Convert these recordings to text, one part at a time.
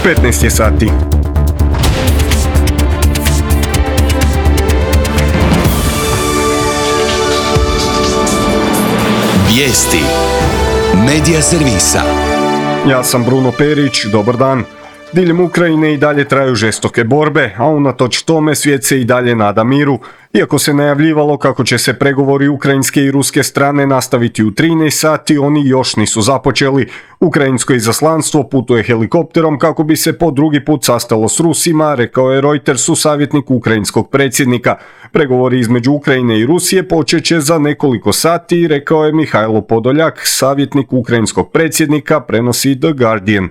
15 je sati. Vijesti Medija servisa. Ja sam Bruno Perić, dobar dan. Diljem Ukrajine i dalje traju žestoke borbe, a unatoč tome svijet se i dalje nada miru. Iako se najavljivalo kako će se pregovori ukrajinske i ruske strane nastaviti u 13 sati, oni još nisu započeli. Ukrajinsko izaslanstvo putuje helikopterom kako bi se po drugi put sastalo s Rusima, rekao je Reutersu savjetnik ukrajinskog predsjednika. Pregovori između Ukrajine i Rusije počet će za nekoliko sati, rekao je Mihajlo Podoljak, savjetnik ukrajinskog predsjednika, prenosi The Guardian.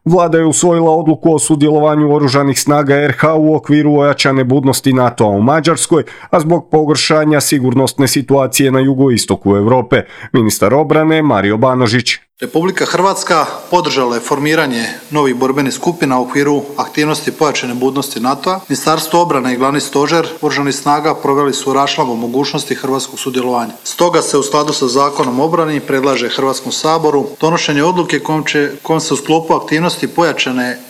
Vlada je usvojila odluku o sudjelovanju oružanih snaga RH u okviru ojačane budnosti NATO-a u Mađarskoj, a zbog pogoršanja sigurnosne situacije na jugoistoku Europe. Ministar obrane Mario Banožić. Republika Hrvatska podržala je formiranje novih borbenih skupina u okviru aktivnosti pojačane budnosti NATO-a. Ministarstvo obrane i glavni stožer oružanih snaga proveli su raščlambu mogućnosti hrvatskog sudjelovanja. Stoga se u skladu sa Zakonom o obrani predlaže Hrvatskom saboru donošenje odluke kojom se u sklopu aktivnosti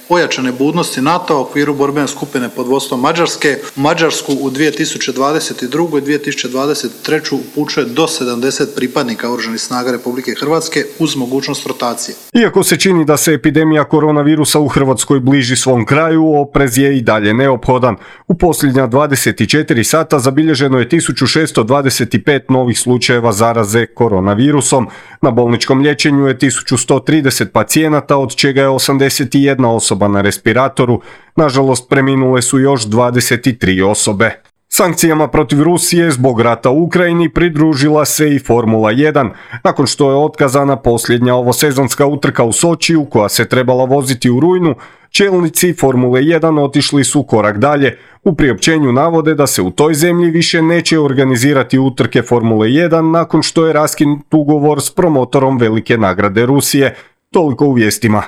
pojačane budnosti NATO-a u okviru borbene skupine pod vodstvom Mađarske u Mađarsku u 2022. i 2023. upućuje do 70 pripadnika oružanih snaga Republike Hrvatske uz mogućnost rotacije. Iako se čini da se epidemija koronavirusa u Hrvatskoj bliži svom kraju, oprez je i dalje neophodan. U posljednja 24 sata zabilježeno je 1625 novih slučajeva zaraze koronavirusom. Na bolničkom liječenju je 1130 pacijenata, od čega je 81 osoba na respiratoru. Nažalost, preminule su još 23 osobe. Sankcijama protiv Rusije zbog rata u Ukrajini pridružila se i Formula 1. Nakon što je otkazana posljednja ovosezonska utrka u Sočiju koja se trebala voziti u rujnu, čelnici Formule 1 otišli su korak dalje. U priopćenju navode da se u toj zemlji više neće organizirati utrke Formule 1 nakon što je raskinut ugovor s promotorom velike nagrade Rusije. Toliko u vijestima.